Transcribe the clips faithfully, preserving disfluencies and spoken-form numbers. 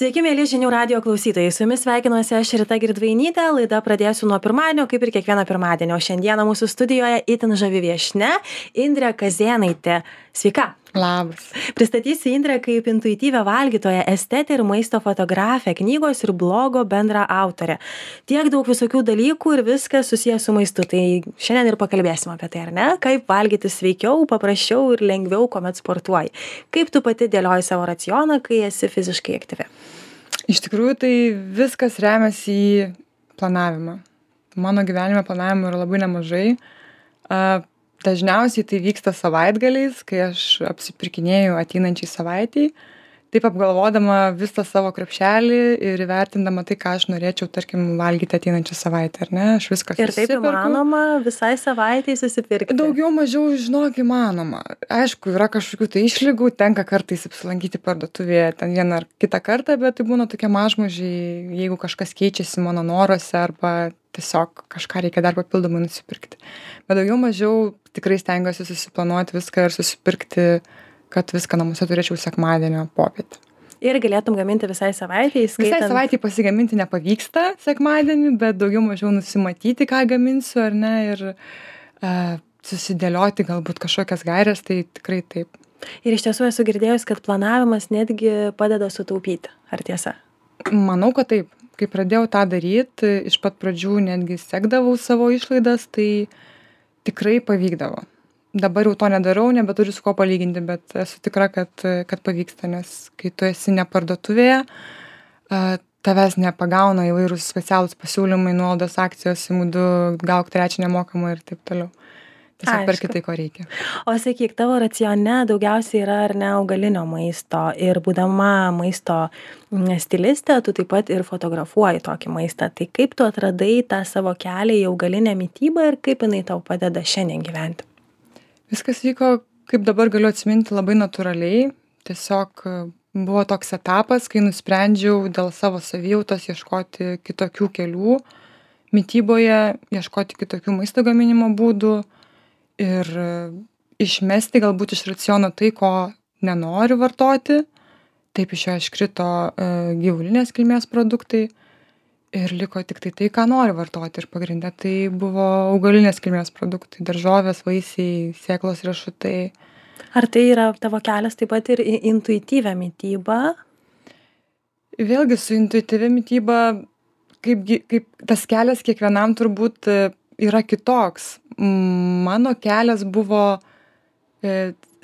Sveiki, mėly žinių radio klausytojai. Su jumis sveikinuosi aš Rita Girdvainytė. Laida pradėsiu nuo pirmadienio, kaip ir kiekvieną pirmadienį. O šiandieną mūsų studijoje itin žavi viešnia Indrė Kazėnaitė. Sveika. Labas. Pristatysiu Indrę kaip intuityvią valgytoją, estetę ir maisto fotografę, knygos ir blogo bendra autorę. Tiek daug visokių dalykų ir viskas susijęs su maistu. Tai šiandien ir pakalbėsim apie tai, ar ne? Kaip valgyti sveikiau, paprasčiau ir lengviau, kuomet sportuoji. Kaip tu pati dėlioji savo racioną, kai esi fiziškai aktyvi? Iš tikrųjų, tai viskas remiasi į planavimą. Mano gyvenime planavimo yra labai nemažai. A, dažniausiai tai vyksta savaitgaliais, kai aš apsipirkinėju ateinančiai savaitei, taip apgalvodama visą savo krepšelį ir įvertindama tai, ką aš norėčiau, tarkim, valgyti ateinančią savaitę, ar ne? Aš viską Ir taip susiperku. įmanoma visai savaitai susipirkti. Daugiau mažiau, žinok, įmanoma. Aišku, yra kažkokių tai išlygų, tenka kartais apsilankyti parduotuvėje ten vieną ar kitą kartą, bet tai būna tokie mažmožiai, jeigu kažkas keičiasi mano noruose arba tiesiog kažką reikia dar papildomai nusipirkti. Bet daugiau mažiau tikrai stengiuosi susiplanuoti viską ir susipirkti, kad viską namuose turėčiau sekmadienio popietę. Ir galėtum gaminti visai savaitei, skaitant... Visai savaitei pasigaminti nepavyksta sekmadienį, bet daugiau mažiau nusimatyti, ką gaminsiu, ar ne, ir uh, susidėlioti galbūt kažkokias gaires, tai tikrai taip. Ir iš tiesų esu girdėjus, kad planavimas netgi padeda sutaupyti. Ar tiesa? Manau, kad taip. Kai pradėjau tą daryti, iš pat pradžių netgi sekdavau savo išlaidas, tai tikrai pavykdavo. Dabar jau to nedarau, nebeturiu su ko palyginti, bet esu tikra, kad, kad pavyksta, nes kai tu esi ne parduotuvėje, tavęs nepagauna įvairūs specialūs pasiūlymai, nuolaidos akcijos, imu du, gauk trečią nemokamą ir taip toliau. Tiesiog perki tai, ko reikia. O sakyk, tavo racione daugiausiai yra ar ne augalinio maisto ir būdama maisto stilistė, tu taip pat ir fotografuoji tokį maistą. Tai kaip tu atradai tą savo kelią į augalinę mitybą ir kaip jinai tau padeda šiandien gyventi? Viskas vyko, kaip dabar galiu atsiminti, labai natūraliai. Tiesiog buvo toks etapas, kai nusprendžiau dėl savo savijautos ieškoti kitokių kelių mityboje, ieškoti kitokių maisto gaminimo būdų ir išmesti galbūt iš raciono tai, ko nenoriu vartoti. Taip iš jo iškrito gyvulinės kilmės produktai ir liko tik tai tai, ką noriu vartoti. Ir pagrinde tai buvo augalinės kilmės produktai, daržovės, vaisiai, sėklos, riešutai. Ar tai yra tavo kelias taip pat ir į intuityvią mitybą? Vėlgi su intuityvia mityba, kaip, kaip tas kelias kiekvienam turbūt yra kitoks. Mano kelias buvo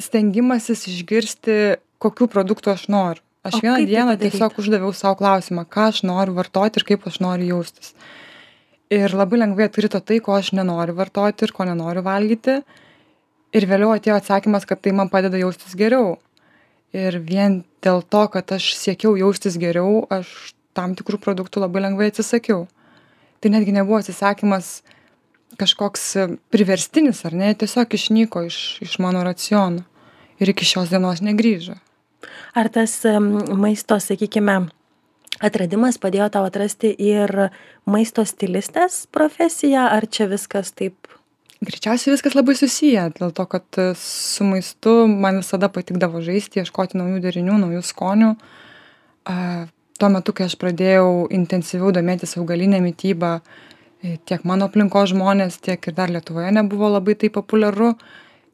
stengimasis išgirsti, kokių produktų aš noriu. Aš vieną dieną tiesiog uždaviau savo klausimą, ką aš noriu vartoti ir kaip aš noriu jaustis. Ir labai lengvai atkrito tai, ko aš nenoriu vartoti ir ko nenoriu valgyti. Ir vėliau atėjo atsakymas, kad tai man padeda jaustis geriau. Ir vien dėl to, kad aš siekiau jaustis geriau, aš tam tikrų produktų labai lengvai atsisakiau. Tai netgi nebuvo atsisakymas kažkoks priverstinis, ar ne, tiesiog išnyko iš, iš mano raciono ir iki šios dienos negrįžo. Ar tas maisto, sakykime, atradimas padėjo tau atrasti ir maisto stilistės profesiją, ar čia viskas taip? Greičiausiai viskas labai susiję, dėl to, kad su maistu man visada patikdavo žaisti, ieškoti naujų derinių, naujų skonių. Tuo metu, kai aš pradėjau intensyviau domėtis augalinę mitybą, tiek mano aplinkos žmonės, tiek ir dar Lietuvoje nebuvo labai tai populiaru.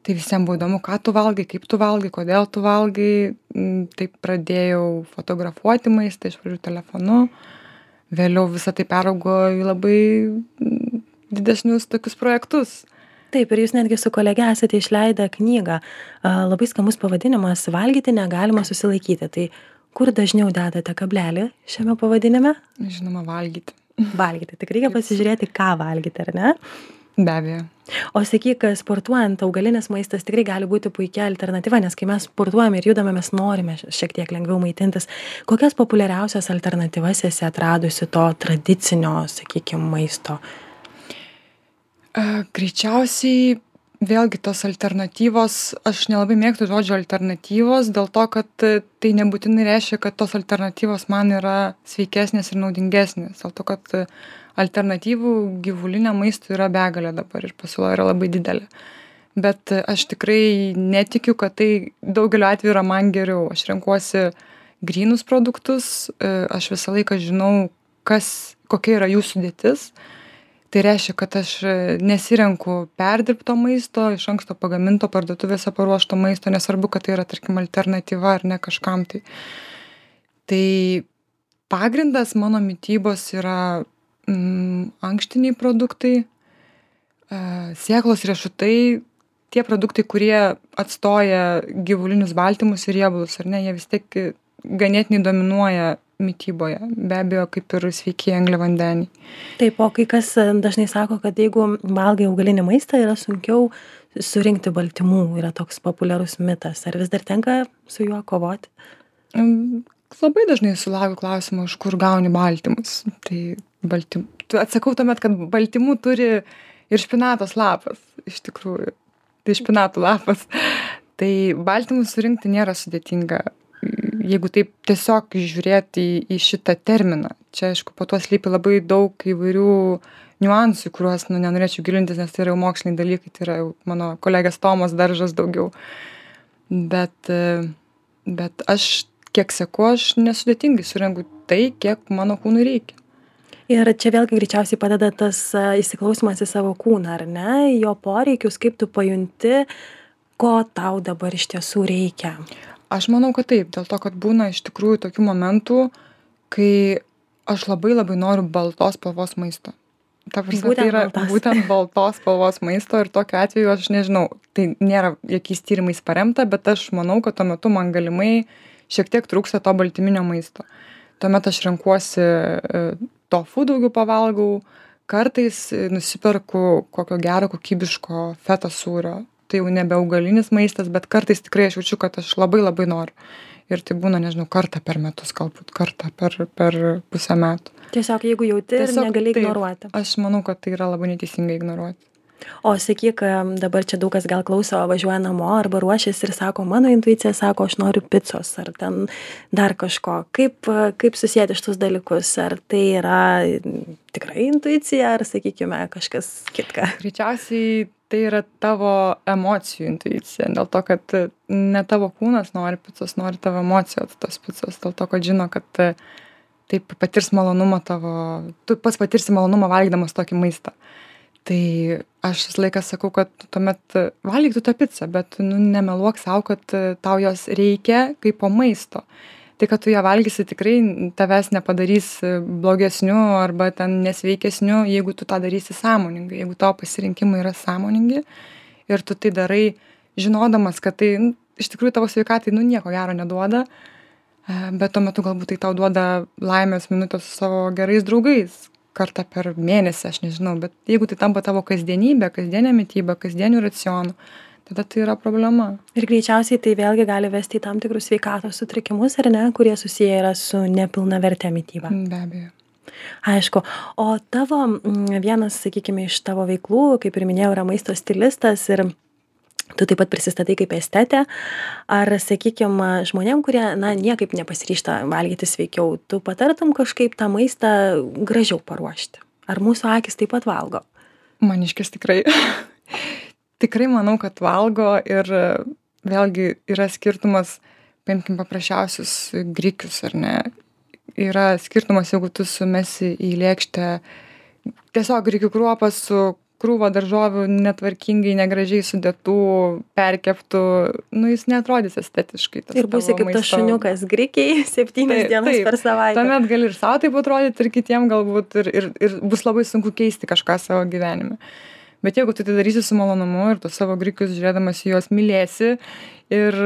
Tai visiems buvo įdomu, ką tu valgai, kaip tu valgai, kodėl tu valgai. Taip pradėjau fotografuoti maistą iš pradžių telefonu. Vėliau visą tai peraugo į labai didesnius tokius projektus. Taip, ir jūs netgi su kolege esate išleidę knygą. Labai skamus pavadinimas "Valgyti negalima susilaikyti". Tai kur dažniau dedate kablelį šiame pavadinime? Žinoma, valgyti. Valgyti. Tik reikia pasižiūrėti, ką valgyti, ar ne? Be abejo. O sakyk, sportuojant, augalinis maistas tikrai gali būti puikia alternatyva, nes kai mes sportuojame ir judame, mes norime šiek tiek lengviau maitintis. Kokias populiariausias alternatyvas esi atradusi to tradicinio, sakykime, maisto? Greičiausiai vėlgi tos alternatyvos, aš nelabai mėgstu žodžio alternatyvos, dėl to, kad tai nebūtinai reiškia, kad tos alternatyvos man yra sveikesnės ir naudingesnės. Dėl to, kad alternatyvų gyvuliniam maistui yra begalė dabar ir pasiūla yra labai didelė. Bet aš tikrai netikiu, kad tai daugeliu atveju yra man geriau. Aš renkuosi grynus produktus, aš visą laiką žinau, kas, kokia yra jų sudėtis. Tai reiškia, kad aš nesirenku perdirbto maisto, iš anksto pagaminto parduotuvėse paruošto maisto, nesvarbu, kad tai yra, tarkim, alternatyva ar ne kažkam tai. Tai pagrindas mano mitybos yra mm, ankštiniai produktai, sėklos riešutai, tie produktai, kurie atstoja gyvulinius baltymus ir riebalus, ar ne, jie vis tiek ganėtinai dominuoja mityboje, be abejo, kaip ir sveiki angliavandeniai. Taip, o kai kas dažnai sako, kad jeigu valgai augalinį maistą, yra sunkiau surinkti baltymų, yra toks populiarus mitas. Ar vis dar tenka su juo kovoti? Labai dažnai sulaukiu klausimą, iš kur gauni baltymus. Tai baltym... atsakau tuomet, kad baltymų turi ir špinatos lapas, iš tikrųjų. Tai špinatų lapas. Tai baltymus surinkti nėra sudėtinga. Jeigu taip tiesiog žiūrėti į, į šitą terminą. Čia, aišku, po to slypi labai daug įvairių niuansų, kuriuos nu, nenorėčiau gilintis, nes tai yra jau moksliniai dalykai, tai yra jau mano kolegės Tomas Daržas daugiau. Bet, bet aš, kiek seku, aš nesudėtingai surenku tai, kiek mano kūnui reikia. Ir čia vėlgi greičiausiai padeda tas įsiklausimas į savo kūną, ar ne, jo poreikius, kaip tu pajunti, ko tau dabar iš tiesų reikia. Aš manau, kad taip, dėl to, kad būna iš tikrųjų tokių momentų, kai aš labai labai noriu baltos spalvos maisto. Ta prasme, Būtent tai yra baltas. būtent baltos spalvos maisto ir tokiu atveju aš nežinau, tai nėra jokiais tyrimais paremta, bet aš manau, kad tuo metu man galimai šiek tiek trūksta to baltyminio maisto. Tuomet aš renkuosi tofu daugiau pavalgau, kartais nusiperku kokio gero kokybiško feto sūrio. Tai jau nebe augalinis maistas, bet kartais tikrai aš jaučiu, kad aš labai labai noriu. Ir tai būna, nežinau, kartą per metus, galbūt kartą per, per pusę metų. Tiesiog jeigu jauti ir negali ignoruoti. Aš manau, kad tai yra labai neteisingai ignoruoti. O sakyk, dabar čia daug kas gal klauso, važiuoja namo arba ruošiasi ir sako, mano intuicija sako, aš noriu picos ar ten dar kažko. Kaip, kaip susijęti šitus dalykus? Ar tai yra tikrai intuicija ar, sakykime, kažkas kitka? Greičiausiai tai yra tavo emocijų intuicija, dėl to, kad ne tavo kūnas nori picos, nori tavo emocijos tos picos, dėl to, kad žino, kad taip patirs malonumą tavo, tu pats patirsi malonumą valgydamas tokį maistą. Tai aš visą laiką sakau, kad tuomet valgyk tu tą pizzą, bet nu, nemeluok savo, kad tau jos reikia kaip po maisto. Tai, kad tu ją valgysi, tikrai tavęs nepadarys blogesniu arba ten nesveikesniu, jeigu tu tą darysi sąmoningai, jeigu tavo pasirinkimai yra sąmoningi ir tu tai darai žinodamas, kad tai nu, iš tikrųjų tavo sveikatai nu, nieko gero neduoda, bet tuo metu galbūt tai tau duoda laimės minutės su savo gerais draugais. Kartą per mėnesį, aš nežinau, bet jeigu tai tampa tavo kasdienybė, kasdienė mityba, kasdienių racionų, tada tai yra problema. Ir greičiausiai tai vėlgi gali vesti į tam tikrus sveikatos sutrikimus, ar ne, kurie susiję yra su nepilnavertė mityba. Be abejo. Aišku. O tavo vienas, sakykime, iš tavo veiklų, kaip ir minėjau, yra maisto stilistas ir tu taip pat prisistatai kaip estetė. Ar, sakykime, žmonėm, kurie, na, niekaip nepasiryžta valgyti sveikiau, tu patartum kažkaip tą maistą gražiau paruošti? Ar mūsų akys taip pat valgo? Maniškis tikrai. Tikrai manau, kad valgo ir vėlgi yra skirtumas, paimkim paprasčiausius grikius, ar ne? Yra skirtumas, jeigu tu sumesi į lėkštę tiesiog grikių kruopą su krūva daržovių netvarkingai, negražiai sudėtų, perkeptų, nu jis neatrodys estetiškai. Ir būsi kaip tas šuniukas grikiai septynias dienas taip, per savaitę. Tuomet gali ir savo taip atrodyti, ir kitiem galbūt, ir, ir, ir bus labai sunku keisti kažką savo gyvenime. Bet jeigu tu tai darysi su malonumu ir tu savo grikius žiūrėdamas į juos mylėsi ir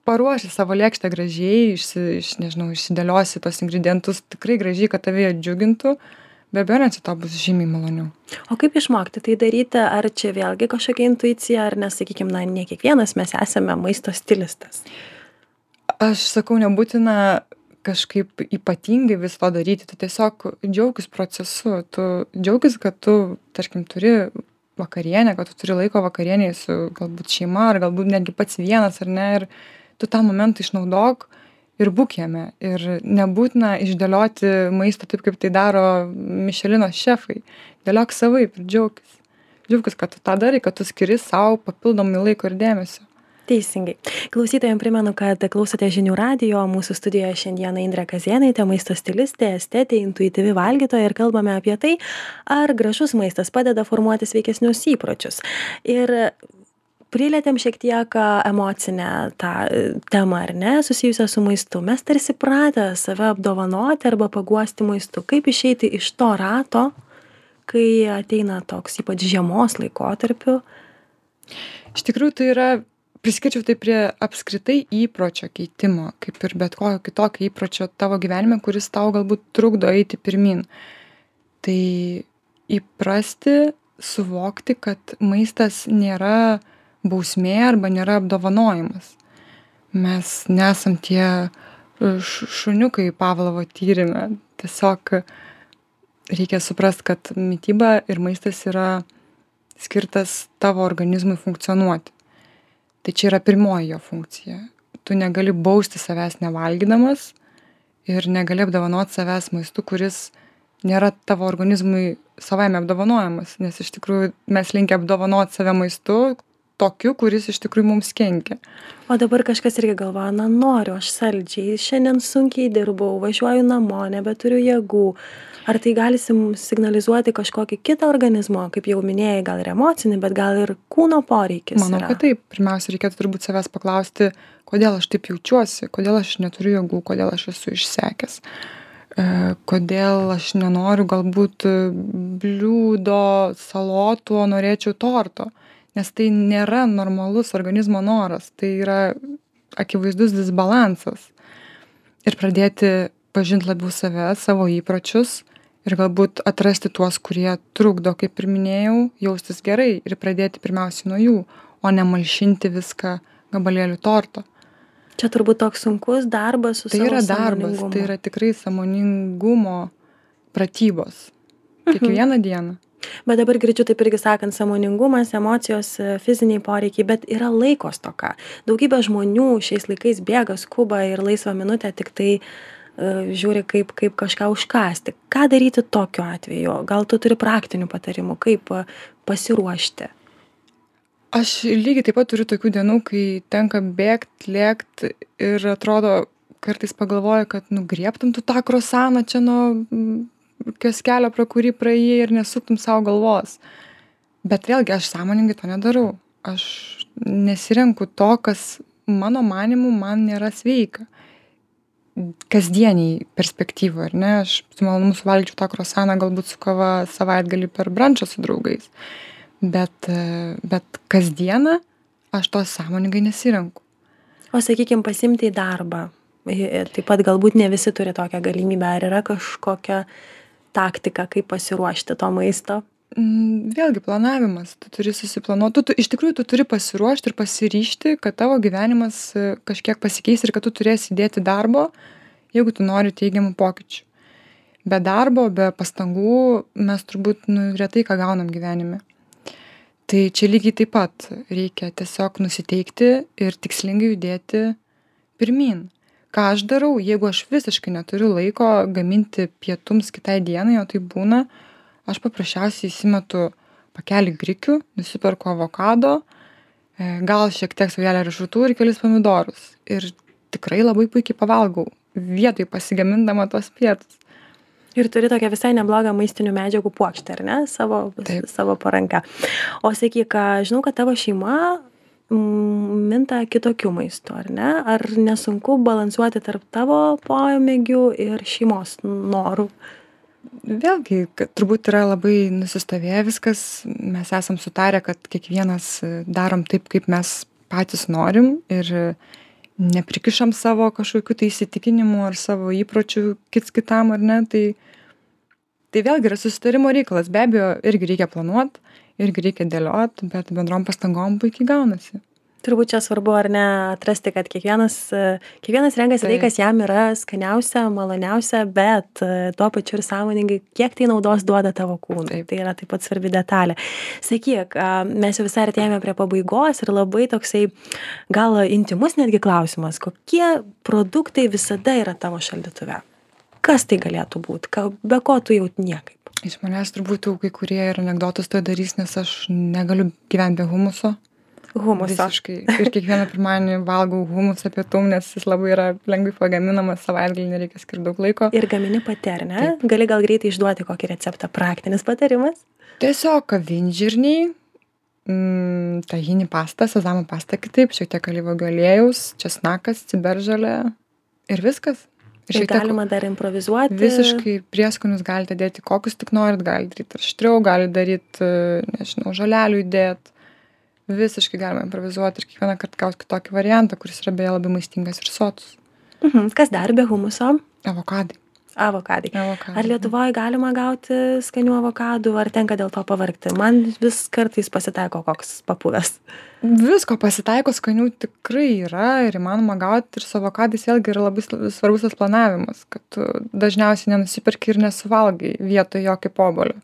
paruoši savo lėkštę gražiai, išsi, iš, nežinau, išsidėliosi tos ingredientus tikrai gražiai, kad tave jie džiugintų, be abejo, net to bus žymiai maloniau. O kaip išmokti tai daryti? Ar čia vėlgi kažkokia intuicija, ar nes, sakykime, na, ne kiekvienas mes esame maisto stilistas? Aš sakau, nebūtina kažkaip ypatingai vis to daryti. Tu tiesiog džiaugis procesu. Tu džiaugis, kad tu, tarkim, turi vakarienę, kad tu turi laiko vakarieniai su galbūt šeima, ar galbūt netgi pats vienas, ar ne, ir tu tą momentą išnaudok ir būk jame. Ir nebūtina išdėlioti maistą taip, kaip tai daro Mišelino šefai. Dėliok savaip ir džiaugis. Džiaugis, kad tu tą darai, kad tu skiri savo papildomai laiko ir dėmesio. Teisingai. Klausytojams primenu, kad klausote žinių radijo, mūsų studijoje šiandieną Indrė Kazėnaitė, maisto stilistė, estetė, intuityvi valgytoja ir kalbame apie tai, ar gražus maistas padeda formuoti sveikesnius įpročius. Ir prilietėm šiek tiek emocinę tą temą, ar ne, susijusią su maistu. Mes tarsi pratę save apdovanoti arba paguosti maistu. Kaip išeiti iš to rato, kai ateina toks ypač žiemos laikotarpiu? Iš tikrųjų, tai yra, priskirčiau tai prie apskritai įpročio keitimo, kaip ir bet kokio kitokio įpročio tavo gyvenime, kuris tau galbūt trukdo eiti pirmin. Tai įprasti, suvokti, kad maistas nėra bausmė arba nėra apdovanojimas. Mes nesam tie šuniukai Pavlovo tyrime. Tiesiog reikia suprast, kad mityba ir maistas yra skirtas tavo organizmui funkcionuoti. Tai čia yra pirmoji jo funkcija. Tu negali bausti savęs nevalgydamas ir negali apdovanoti savęs maistu, kuris nėra tavo organizmui savaime apdovanojamas, nes iš tikrųjų mes linkę apdovanoti save maistu tokiu, kuris iš tikrųjų mums kenkia. O dabar kažkas irgi galvoja, na noriu, aš saldžiai, šiandien sunkiai dirbau, važiuoju namo, nebeturiu jėgų. Ar tai gali signalizuoti kažkokį kitą organizmo, kaip jau minėjai, gal ir emocinį, bet gal ir kūno poreikis? Manau, yra? kad taip. Pirmiausia, reikėtų turbūt savęs paklausti, kodėl aš taip jaučiuosi, kodėl aš neturiu jėgų, kodėl aš esu išsekęs, e, kodėl aš nenoriu galbūt bliūdo, salotų, o norėčiau torto. Nes tai nėra normalus organizmo noras, tai yra akivaizdus disbalansas. Ir pradėti pažinti labiau save, savo įpročius ir galbūt atrasti tuos, kurie trukdo, kaip ir minėjau, jaustis gerai ir pradėti pirmiausiai nuo jų, o ne malšinti viską gabalėliu torto. Čia turbūt toks sunkus darbas su Tai savo yra darbas, sąmoningumu. tai yra tikrai sąmoningumo pratybos. Kiekvieną dieną. Bet dabar girdžiu taip irgi sakant, sąmoningumas, emocijos, fiziniai poreikiai, bet yra laiko stoka. Daugybė žmonių šiais laikais bėga, skuba ir laisvą minutę tik tai uh, žiūri, kaip, kaip kažką užkasti. Ką daryti tokiu atveju? Gal tu turi praktinių patarimų, kaip uh, pasiruošti? Aš lygiai taip pat turiu tokių dienų, kai tenka bėgt, lėkt ir atrodo, kartais pagalvoju, kad nugriebtum tu tą krosaną čia nuo kioskelio, pro kurį praėjai ir nesuktum savo galvos. Bet vėlgi aš sąmoningai to nedarau. Aš nesirenku to, kas mano manimu man nėra sveika. Kasdieniai perspektyvoje, ar ne? Aš su malonumu suvalgyčiau tą krosaną galbūt su kava savaitgalį per brančą su draugais. Bet, bet kasdieną aš to sąmoningai nesirenku. O sakykime, pasimti į darbą. Taip pat galbūt ne visi turi tokią galimybę. Ar yra kažkokia taktika, kaip pasiruošti to maisto? Vėlgi planavimas. Tu turi susiplanuoti. Tu, tu, iš tikrųjų, tu turi pasiruošti ir pasiryžti, kad tavo gyvenimas kažkiek pasikeis ir kad tu turėsi įdėti darbo, jeigu tu nori teigiamų pokyčių. Be darbo, be pastangų mes turbūt nu, retai ką gaunam gyvenime. Tai čia lygiai taip pat reikia tiesiog nusiteikti ir tikslingai judėti pirmin. Ką aš darau, jeigu aš visiškai neturiu laiko gaminti pietums kitai dienai, o tai būna, aš paprasčiausiai įsimetu pakelį grikių, nusiperku avokado, gal šiek tiek saujelę riešutų ir kelis pomidorus. Ir tikrai labai puikiai pavalgau, vietoj pasigamindama tos pietus. Ir turi tokią visai neblogą maistinių medžiagų puokštę, ar ne? Savo, savo paranka. O sakyk, žinau, kad tavo šeima minta kitokių maistų, ar ne? Ar nesunku balansuoti tarp tavo pomėgių ir šeimos norų? Vėlgi, turbūt yra labai nusistovėję viskas. Mes esam sutarę, kad kiekvienas darom taip, kaip mes patys norim ir neprikišam savo kažkokių tai įsitikinimų ar savo įpročių kits kitam, ar ne. Tai, tai vėlgi yra susitarimo reikalas. Be abejo, irgi reikia planuoti, irgi reikia dėliot, bet bendrom pastangom puikiai gaunasi. Turbūt čia svarbu, ar ne, atrasti, kad kiekvienas, kiekvienas renkasi tai, kas jam yra skaniausia, maloniausia, bet tuo pačiu ir sąmoningai, kiek tai naudos duoda tavo kūnui. Taip. Tai yra taip pat svarbi detalė. Sakyk, mes jau visai artėjame prie pabaigos ir labai toksai gal intimus netgi klausimas, kokie produktai visada yra tavo šaldytuve? Kas tai galėtų būti? Be ko tu jau niekaip? Iš manęs turbūt jau kai kurie ir anekdotus to darys, nes aš negaliu gyventi be humuso. Humuso. Visiškai. Ir kiekvieną pirmadienį valgau humusą pietum, nes jis labai yra lengvai pagaminamas, savaitgalį nereikia skirti daug laiko. Ir gamini pati, ar ne? Taip. Gali gal greitai išduoti kokį receptą, praktinis patarimas? Tiesiog avinžirniai, mm, tahini pasta, sezamo pasta kitaip, šiek tiek alyvuogių aliejaus, česnakas, ciberžolė ir viskas. Ir šiek tiek galima dar improvizuoti. Visiškai prieskonius galite dėti, kokius tik norit, galite daryti aštriau, galite daryti, nežinau, žolelių įdėti. Visiškai galima improvizuoti ir kiekvieną kartą gauti kitokį variantą, kuris yra beje labai maistingas ir sotus. Mhm. Kas dar be humuso? Avokadai. Avokadai. Avokadai. Ar Lietuvoje galima gauti skanių avokadų, ar tenka dėl to pavargti? Man vis kartais pasitaiko koks papuvęs. Visko pasitaiko, skanių tikrai yra ir įmanoma gauti ir su avokadais vėlgi yra labai svarbus tas planavimas, kad tu dažniausiai nenusiperki ir nesuvalgai vietoj jo kaip obuolio.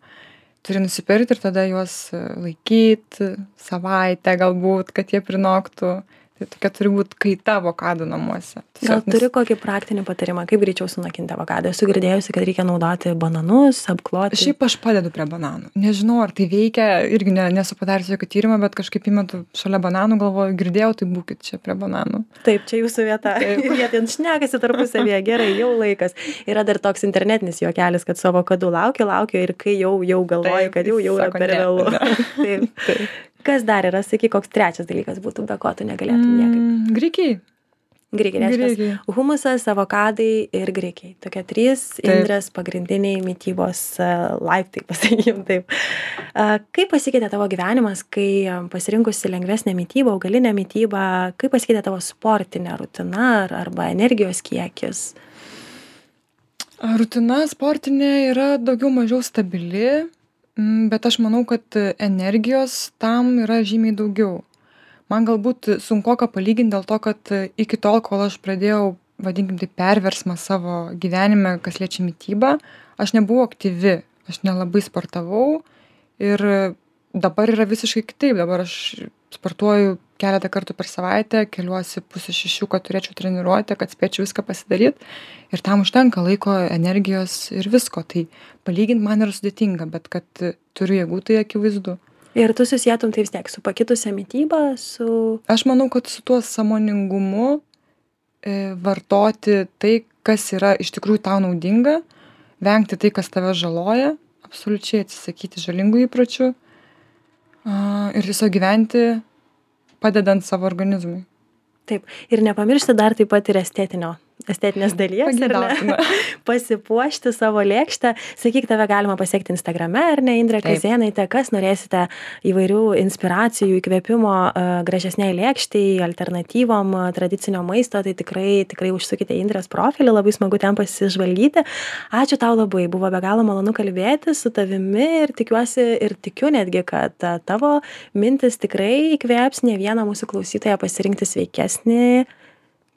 Turi nusipirkti ir tada juos laikyti savaitę galbūt, kad jie prinoktų. Tai tokia turi būti kaita avokadų namuose. Gal turi kokį praktinį patarimą, kaip greičiau sunakinti avokadą? Esu girdėjusi, kad reikia naudoti bananus, apkloti. Šiaip aš padedu prie bananų. Nežinau, ar tai veikia, irgi ne, nesu padariusi jokio tyrimo, bet kažkaip įmetu šalia bananų, galvoju, girdėjau, tai būkit čia prie bananų. Taip, čia jūsų vieta. Ir jie ten šnekasi tarpusavėje, gerai, jau laikas. Yra dar toks internetinis juokelis, kad su avokadu laukia, laukia ir kai jau, jau galvoji, kad jau, jau yra per vėlu. Taip, taip. Kas dar yra, sakyk, koks trečias dalykas būtų, be ko tu negalėtum niekaip? Mm, grikiai. Grikiai, reiškia, humusas, avokadai ir grikiai. Tokie trys Indrės pagrindiniai mitybos uh, laiptai, pasakykim taip. Uh, kaip pasikeitė tavo gyvenimas, kai um, pasirinkusi lengvesnę mitybą, augalinę mitybą, kaip pasikeitė tavo sportinė rutina ar, arba energijos kiekis? Rutina sportinė yra daugiau mažiau stabili. Bet aš manau, kad energijos tam yra žymiai daugiau. Man galbūt sunkoka palyginti dėl to, kad iki tol, kol aš pradėjau, vadinkim tai, perversmą savo gyvenime, kas liečia mitybą, aš nebuvau aktyvi, aš nelabai sportavau ir dabar yra visiškai kitaip. Dabar aš sportuoju keletą kartų per savaitę, keliuosi pusę šešių, kad turėčiau treniruotę, kad spėčiau viską pasidaryti ir tam užtenka laiko, energijos ir visko. Tai palyginti man yra sudėtinga, bet kad turiu jėgų, tai akivaizdu. Ir tu susietum tai vis tiek su pakitusią mitybą, su... Aš manau, kad su tuo sąmoningumu e, vartoti tai, kas yra iš tikrųjų tau naudinga, vengti tai, kas tave žaloja, absoliučiai atsisakyti žalingų įpročių a, ir tiesiog gyventi padedant savo organizmui. Taip. Ir nepamiršti dar taip pat ir estetinio, estetinės dalies, ar ne? Pasipuošti savo lėkštę. Sakyk, tave galima pasiekti Instagrame, ar ne, Indrė Kazėnaitė, kas norėsite įvairių inspiracijų, įkvėpimo uh, gražesniai lėkštai, alternatyvom uh, tradicinio maisto, tai tikrai, tikrai užsukite Indrės profilį, labai smagu ten pasižvalgyti. Ačiū tau labai, buvo be galo malonu kalbėti su tavimi ir tikiuosi ir tikiu netgi, kad uh, tavo mintis tikrai įkvėps ne vieną mūsų klausytoją pasirinkti sveikesnį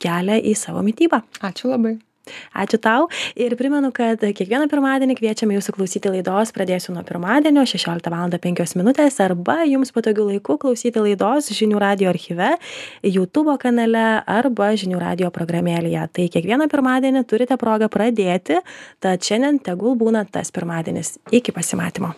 kelią į savo mitybą. Ačiū labai. Ačiū tau ir primenu, kad kiekvieną pirmadienį kviečiame jūsų klausyti laidos Pradėsiu nuo pirmadienio šešioliktą valandą penkios minutės arba jums patogiu laiku klausyti laidos Žinių radijo archyve, YouTube kanale arba Žinių radijo programėlėje. Tai kiekvieną pirmadienį turite progą pradėti, tad šiandien tegul būna tas pirmadienis. Iki pasimatymo.